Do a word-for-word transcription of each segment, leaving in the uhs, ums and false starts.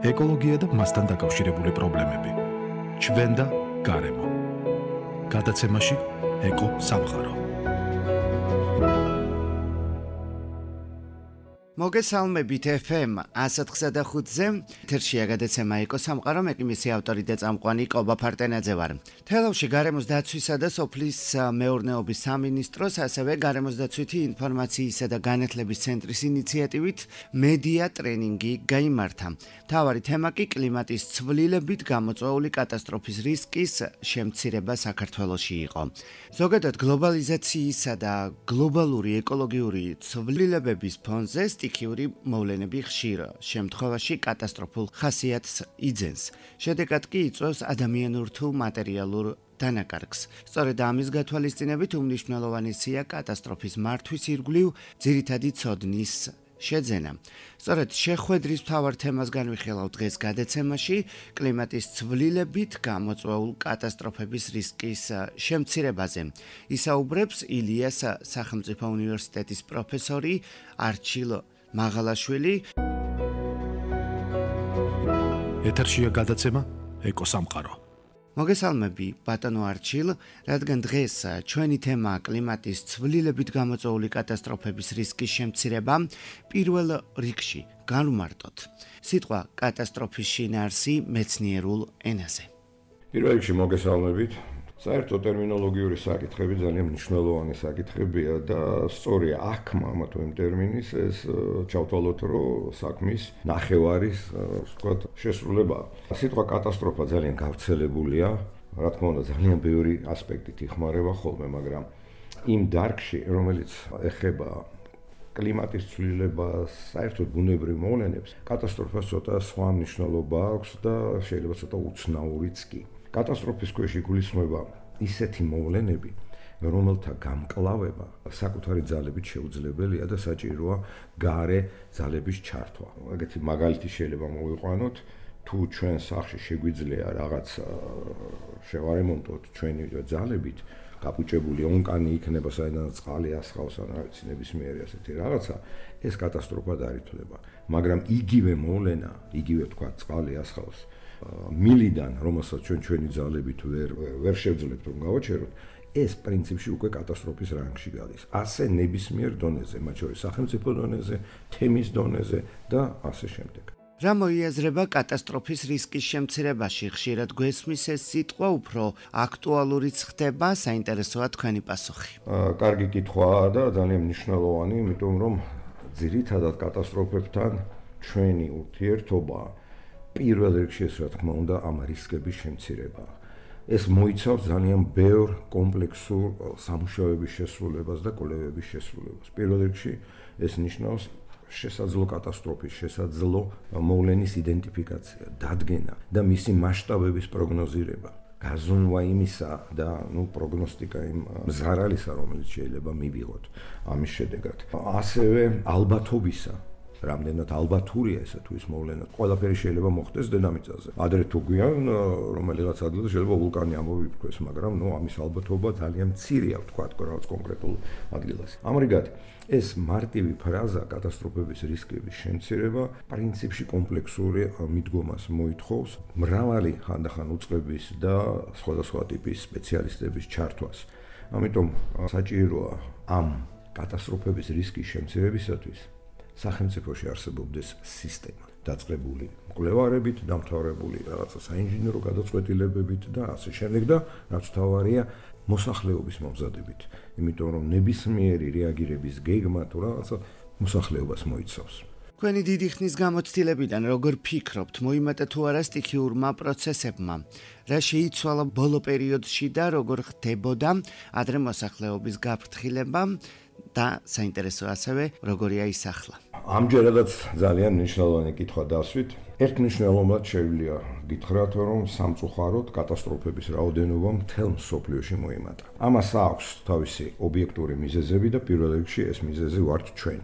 ეკოლოგია და მასთან დაკავშირებული პრობლემები. ჩვენ და გარემო. გადაცემაში ეკო სამყარო. მოგესალმებით ეფ ემ ასად ხუთზე ეთერშია გადაცემა ეკო სამყარო, მე კი მისი ავტორი და წამყვანი კობა ფარტენაძე ვარ. თელავში გარემოს დაცვისა და სოფლის მეურნეობის სამინისტროს, ასევე გარემოს დაცვითი ინფორმაციისა და განათლების ცენტრის ინიციატივით მედია ტრენინგი გაიმართა. მთავარი თემა კი კლიმატის ცვლილებით გამოწვეული კატასტროფის რისკის შემცირება საქართველოში იყო. ზოგადად გლობალიზაციისა და გლობალური ეკოლოგიური ცვლილებების ფონზე სტიქიური მოვლენები ხშირ შემთხვევაში კატასტროფულ ხასიათს იძენს. შედეგად კი იწვევს ადამიანურ თუ მატერიალურ დანაკარგს. სწორედ ამის გათვალისწინებით უმნიშვნელოვანესია კატასტროფის მართვის ირგვლივ ძირითადი ცოდნის შეძენა. სწორედ შეხვედრის მთავარ თემას განვიხილავ დღეს გადაცემაში, კლიმატის ცვლილებით გამოწვეულ კატასტროფების რისკის შემცირებაზე. ისაუბრებს ილიას სახელმწიფო უნივერსიტეტის პროფესორი არჩილ მაღალაშვილი. ეთერშია გადაცემა ეკო სამყარო. მოგესალმები ბატონო არჩილ, რადგან დღეს ჩვენი თემაა კლიმატის ცვლილებით გამოწვეული კატასტროფების რისკის შემცირება, პირველ რიგში განვმარტოთ სიტყვა კატასტროფის შინაარსი მეცნიერულ ენაზე. პირველ რიგში მოგესალმებით. საერთო ტერმინოლოგიური საკითხები ძალიან მნიშვნელოვანი საკითხებია და სწორია აქმა ამა თუ იმ ტერმინის ეს ჩავთვალოთ, რომ საქმის ნახევარის, ვთქვათ, შესრულებაა. სიტყვა კატასტროფა ძალიან გავრცელებულია, რა თქმა უნდა, ძალიან ბევრი ასპექტით იხმარება ხოლმე, მაგრამ იმ დარგში, რომელიც ეხება კლიმატის ცვლილებას, საერთოდ ბუნებრივ მოვლენებს, კატასტროფას ცოტა სხვა მნიშვნელობა აქვს და შეიძლება ცოტა უცნაურიც კი. კატასტროფის ქვეშ იგულისხმება ისეთი მოვლენები, რომელთა გამკლავება საკუთარი ძალებით შეუძლებელია და საჭიროა გარე ძალების ჩართვა. ეგეთი მაგალითი შეიძლება მოვიყვანოთ, თუ ჩვენ სახლში შეგვიძლია რაღაც შევარემონტოთ ჩვენი ძალებით, გაფუჭებული ონკანი იქნება, საიდანაც წყალი ასხავს, ან რა ვიცი, ნებისმიერი ასეთი რაღაცა, ეს კატასტროფად არ ითვლება. მაგრამ იგივე მოვლენა, იგივე თქვა წყალი ასხავს მილიდან, რომელსაც ჩვენ ჩვენი ძალებით ვერ ვერ შევძლებთ რომ გავაჩეროთ, ეს პრინციპში უკვე კატასტროფის რანგში გადის. ასე ნებისმიერ დონეზე, მათ შორის სახელმწიფო დონეზე, თემის დონეზე და ასე შემდეგ. რა მოიაზრება კატასტროფის რისკის შემცირებაში? ხშირად გვესმის ეს სიტყვა, უფრო აქტუალურიც ხდება, საინტერესოა თქვენი პასუხი. კარგი კითხვაა და ძალიან მნიშვნელოვანი, იმიტომ რომ ძირითადად კატასტროფებთან ჩვენი ურთიერთობა პირველ რიგში ეს რა თქმა უნდა ამ რისკების შემცირება. ეს მოიცავს ძალიან ბევრ კომპლექსურ სამუშაოების შესრულებას და კვლევების შესრულებას. პირველ რიგში ეს ნიშნავს შესაძლო კატასტროფის, შესაძლო მოვლენის იდენტიფიკაცია, დადგენა და მისი მასშტაბების პროგნოზირება. გაზრდნა იმისა და ნუ პროგნოსტიკა იმ ზარალისა, რომელიც შეიძლება მივიღოთ ამის შედეგად. ასევე ალბათობისა, რამდენად ალბათურია ესა თუ ის მოვლენა. ყველაფერი შეიძლება მოხდეს დედამიწაზე. ადრე თუ გვიან რომელიღაც ადგილზე შეიძლება ვულკანი ამოვიფრქვეს, მაგრამ ნუ ამის ალბათობა ძალიან მცირეა, ვთქვათ, რაღაც კონკრეტულ ადგილას. ამრიგად, ეს მარტივი ფრაზა კატასტროფების რისკების შემცირება პრინციპში კომპლექსური მიდგომას მოითხოვს, მრავალი ხანდახან უწყების და სხვადასხვა ტიპის სპეციალისტების ჩართვას. ამიტომ საჭიროა ამ კატასტროფების რისკის შემცირებისათვის სახელმწიფოში არსებობდეს სისტემა, დაწყებული მკვლევარებით, დამთავრებული რაღაცა საინჟინრო გადაწყვეტილებებით და ასე შემდეგ და რაც თავარია მოსახლეობის მომზადებით. იმიტომ რომ ნებისმიერი რეაგირების გეგმა თუ რაღაცა მოსახლეობას მოიცავს. თქვენი დიდი ხნის გამოცდილებიდან როგორ ფიქრობთ, მოიმატა თუ არა სტიქიურმა პროცესებმა? რა შეიცვალა ბოლო პერიოდში და როგორ ხდებოდა ადრე მოსახლეობის გაფრთხილება და საინტერესო ასევე როგორია ის ახლა? ამჯერადაც ძალიან მნიშვნელოვანი კითხვა დასვით. ერთ მნიშვნელოვნად შეგვიძლია გითხრათ, რომ სამწუხაროდ კატასტროფების რაოდენობა მთელ მსოფლიოში მოიმატა. ამას აქვს თავისი ობიექტური მიზეზები და პირველ რიგში ეს მიზეზი ვართ ჩვენ,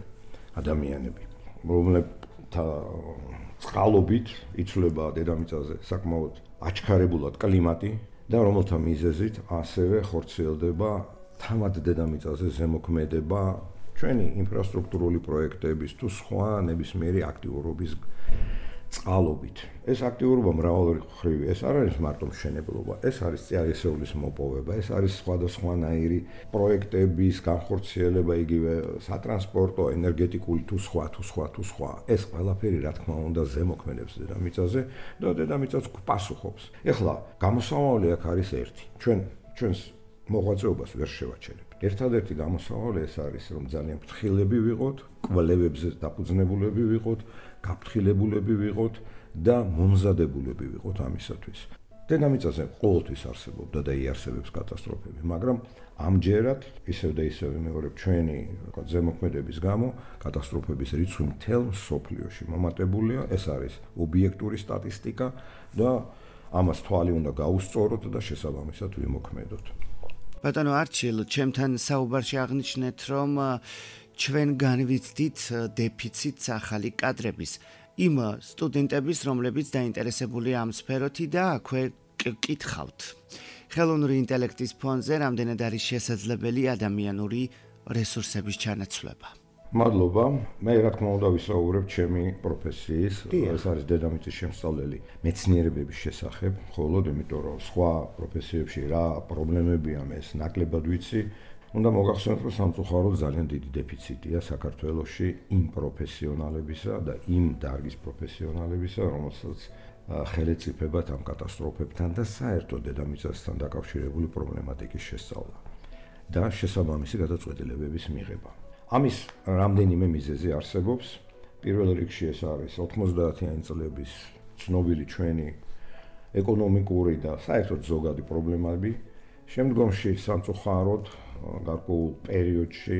ადამიანები, რომლებთა წყალობით იცვლება დედამიწაზე საკმაოდ აჩქარებულად კლიმატი და რომელთა მიზეზით ასევე ხორციელდება თავად დედამიწაზე ზემოქმედება ჩვენი ინფრასტრუქტურული პროექტების თუ სხვა ნებისმიერი აქტიურობის წყალობით. ეს აქტიურობა მრავალმხრივი, ეს არ არის მარტო მშენებლობა, ეს არის წიაღისეულის მოპოვება, ეს არის სხვადასხვანაირი პროექტების განხორციელება, იგივე სატრანსპორტო, ენერგეტიკული თუ სხვა თუ სხვა თუ სხვა. ეს ყველაფერი რა თქმა უნდა ზემოქმედებს დედამიწაზე და დედამიწაც პასუხობს. ეხლა გამოსავალი აქ არის ერთი. ჩვენ ჩვენს მოღვაწეობას ვერ შევაჩერებთ. ერთადერთი გამოსავალი ეს არის, რომ ძალიან ფრთხილები ვიყოთ, კვლევებზე დაფუძნებულები ვიყოთ, გაფრთხილებულები ვიყოთ და მომზადებულები ვიყოთ ამისათვის. დედამიწაზე ყოველთვის არსებობდა და იარსებებს კატასტროფები, მაგრამ ამჯერად ისევ და ისევ ვიმეორებ ჩვენი ზემოქმედების გამო კატასტროფების რიცხვი მთელ მსოფლიოში მომატებულია. ეს არის ობიექტური სტატისტიკა და ამას თვალი უნდა გაუსწოროთ და შესაბამისად ვიმოქმედოთ. ბატონო არჩილ, ჩემთან საუბარში აღნიშნეთ, რომ ჩვენ განვიცდით დეფიციტს ახალი კადრების, იმ სტუდენტების, რომლებიც დაინტერესებულია ამ სფეროთი და აქვე კითხავთ. ხელოვნური ინტელექტის ფონზე რამდენად არის შესაძლებელი ადამიანური რესურსების ჩანაცვლება? მადლობა. მე რა თქმა უნდა ვისაუბრებ ჩემი პროფესიის, ეს არის დედამიწის შემსწავლელი მეცნიერებების შესახებ, მხოლოდ იმიტომ რომ სხვა პროფესიებში რა პრობლემებია მე ეს ნაკლებად ვიცი. უნდა მოგახსენოთ, რომ სამწუხაროდ ძალიან დიდი დეფიციტია საქართველოში იმ პროფესიონალებისა და იმ დარგის პროფესიონალებისა, რომელსაც ხელეწიფებათ ამ კატასტროფებთან და საერთოდ დედამიწასთან დაკავშირებული პრობლემატიკის შესწავლა და შესაბამისი გადაწყვეტილებების მიღება. ამის რამდენიმე მიზეზი არსებობს. პირველ რიგში ეს არის ოთხმოცდაათიანი წლების ცნობილი ჩვენი ეკონომიკური და საერთოდ ზოგადი პრობლემები. შემდგომში სამწუხაროდ გარკვეულ პერიოდში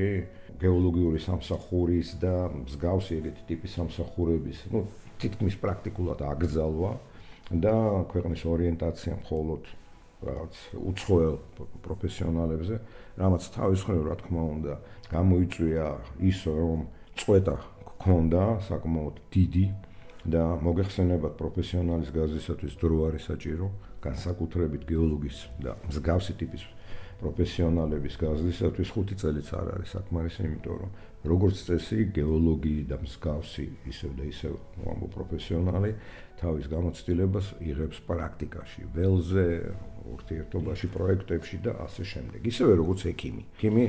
გეოლოგიური სამსახურის და მსგავსი ეგეთი ტიპის სამსახურების, ну, თითქმის პრაქტიკულად აკრძალვა და ქვეყნის ორიენტაცია მხოლოდ რაღაც უცხოელ პროფესიონალებზე, რამაც თავის მხრივ რა თქმა უნდა გამოიწვია ის, რომ წვეტა გქონდა საკმაოდ დიდი და მოგეხსენებათ პროფესიონალის გაზრდისათვის დრო არის საჭირო, განსაკუთრებით გეოლოგის და მსგავსი ტიპის პროფესიონალების გაზრდისათვის ხუთი წელიც არ არის საკმარისი, იმიტომ რომ როგორც წესი გეოლოგი და მსგავსი ისევ და ისევ უამბო პროფესიონალი თავის გამოცდილებას იღებს პრაქტიკაში, ველზე, ურთიერთობაში, პროექტებში და ასე შემდეგ. ისევე როგორც ექიმი. ექიმი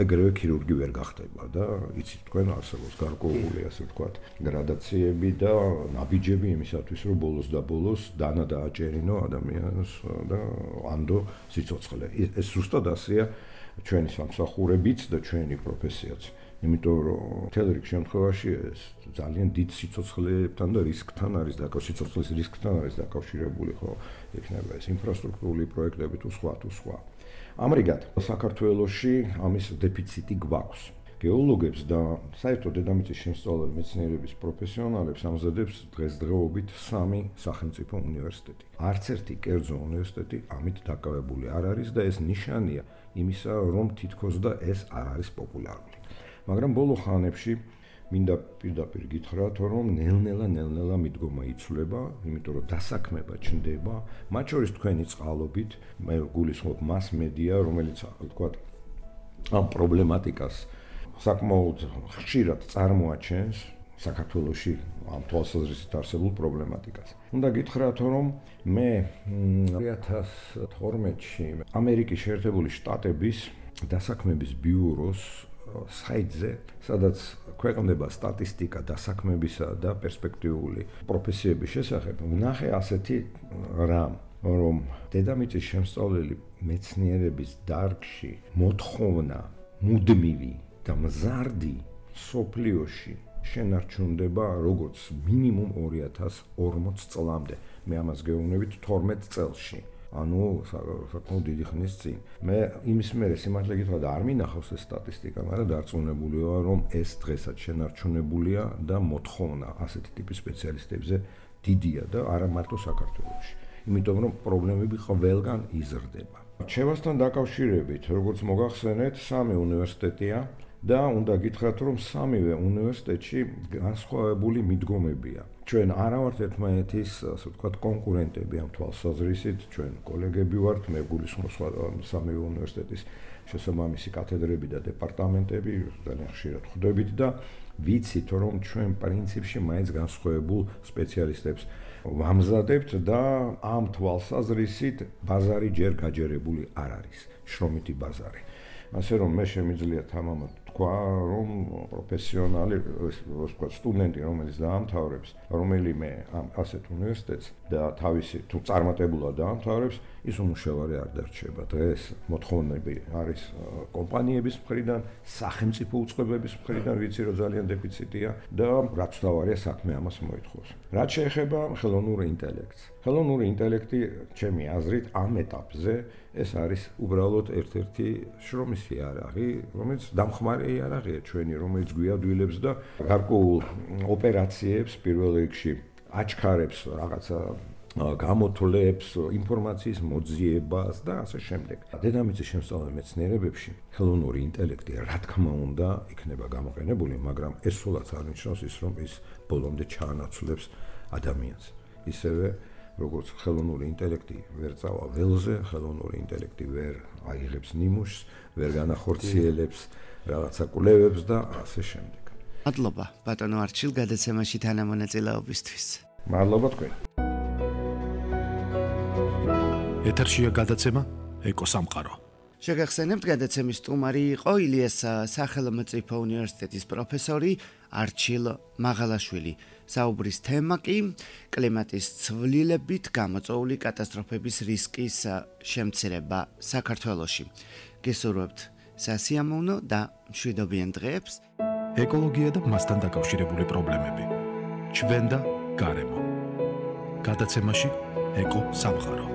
ეგრევე ქირურგი ვერ გახდება და იცით თქვენ არსებობს გარკვეული ასე ვთქვათ გრადაციები და ნაბიჯები იმისათვის, რომ ბოლოს და ბოლოს დანა დააჭერინო ადამიანს და ანდო სიცოცხლე. ეს ზუსტად ასეა ჩვენი სამსახურებიც და ჩვენი პროფესიაც. იმიტომ რომ მთელ რიგ შემთხვევაში ეს ძალიან დიდ სიცოცხლებთან და რისკთან არის დაკავშირებული, სიცოცხლის რისკთან არის დაკავშირებული, ხო, იქნება ეს ინფრასტრუქტურული პროექტები თუ სხვა თუ სხვა. ამრიგად, საქართველოში ამის დეფიციტი გვაქვს. გეოლოგებს და საერთოდ დედამიწის შემსწავლელი მეცნიერების პროფესიონალებს ამზადებს დღესდღეობით სამი სახელმწიფო უნივერსიტეტი. არც ერთი კერძო უნივერსიტეტი ამით დაკავებული არ არის და ეს ნიშანია იმისა, რომ თითქოს და ეს არ არის პოპულარული. მაგრამ ბოლო ხანებში მინდა პირდაპირ გითხრათ, რომ ნელ-ნელა ნელ-ნელა მიდგომა იცვლება, იმიტომ რომ დასაქმება ჩნდება, მათ შორის თქვენი წყალობით, მე გულისხმობ მას-მედია, რომელიც ვთქვათ ამ პრობლემატიკას საკმაოდ ხშირად წარმოაჩენს საქართველოში ამ თვალსაზრისით არსებულ პრობლემატიკას. უნდა გითხრათ, რომ მე ორი ათას თორმეტში ამერიკის შეერთებული შტატების დასაქმების ბიუროს საიტზე, სადაც ქვეყნდება სტატისტიკა დასაქმებისა და პერსპექტიული პროფესიების შესახებ, ვნახე ასეთი რამ, რომ დედამიწის შემსწავლელი მეცნიერების დარგში მოთხოვნა მუდმივი და მზარდი სოფლიოში შენარჩუნდება როგორც მინიმუმ ორი ათას ორმოც წლამდე. მე ამას გეუბნებით თორმეტ წელში. ანუ საკმაოდ დიდი ხნის წინ. მე იმის მერე სიმართლე გითხრათ არ მინახავს ეს სტატისტიკა, მაგრამ დარწმუნებული ვარ, რომ ეს დღესაც შენარჩუნებულია და მოთხოვნა ასეთი ტიპის სპეციალისტებზე დიდია და არა მარტო საქართველოში. იმიტომ რომ პრობლემები ყველგან იზრდება. რჩევასთან დაკავშირებით, როგორც მოგახსენეთ, სამი უნივერსიტეტია და უნდა გითხრათ, რომ სამივე უნივერსიტეტში განსხვავებული მიდგომებია. ჩვენ არა ვართ ერთმანეთის, ასე ვთქვათ, კონკურენტები ამ თვალსაზრისით, ჩვენ კოლეგები ვართ, მე გულისხმობ სხვა სამივე უნივერსიტეტის შესაბამისი კათედრები და დეპარტამენტები ძალიან ხშირად ხვდებით და ვიცით, რომ ჩვენ პრინციპში მაინც განსხვავებულ სპეციალისტებს ვამზადებთ და ამ თვალსაზრისით ბაზარი ჯერ გაჯერებული არ არის, შრომითი ბაზარი. ასე რომ მე შემიძლია თამამად თქვა, რომ პროფესიონალი, ასე ვთქვათ, სტუდენტი, რომელიც დაამთავრებს რომელიმე ამ ასეთ უნივერსიტეტს და თავისი თუ წარმატებულად დაამთავრებს, ის უმუშევარი არ დარჩება. დღეს მოთხოვნები არის კომპანიების მხრიდან, სახელმწიფო უწყებების მხრიდან, ვიცი რომ ძალიან დეფიციტია და რაც თავარია საქმე ამას მოითხოვს. რაც შეეხება ხელოვნურ ინტელექტს. ხელოვნური ინტელექტი, ჩემი აზრით, ამ ეტაპზე ეს არის უბრალოდ ერთ-ერთი შრომის იარაღი, რომელიც დამხმარე იარაღია ჩვენი, რომელიც გვიადვილებს და გარკვეულ ოპერაციებს პირველ რიგში აჩქარებს რაღაცა გამოთვლებს, ინფორმაციის მოძიებას და ასე შემდეგ. დედამიწის შემსწავლელ მეცნიერებებში ხელოვნური ინტელექტი, რა თქმა უნდა, იქნება გამოყენებული, მაგრამ ეს სულაც არ ნიშნავს ის, რომ ის ბოლომდე ჩაანაცვლებს ადამიანს. ისევე როგორც ხელოვნური ინტელექტი ვერ წავა ველზე, ხელოვნური ინტელექტი ვერ აიღებს ნიმუშს, ვერ განახორციელებს რაღაცა კვლევებს და ასე შემდეგ. მადლობა ბატონო არჩილ გადაცემაში თანამონაწილეობისთვის. მადლობა თქვენ. ეთერშია გადაცემა ეკოსამყარო. შეგახსენებთ, გადაცემის სტუმარი იყო ილიას სახელმწიფო უნივერსიტეტის პროფესორი არჩილ მაღალაშვილი. საუბრის თემა კი კლიმატის ცვლილებით გამოწვეული კატასტროფების რისკის შემცირება საქართველოში. გესურვებთ სასიამოვნო და მშვიდობიან დღეებს. ეკოლოგია და მასთან დაკავშირებული პრობლემები. ჩვენ და გარემო. გადაცემაში ეკო სამყარო.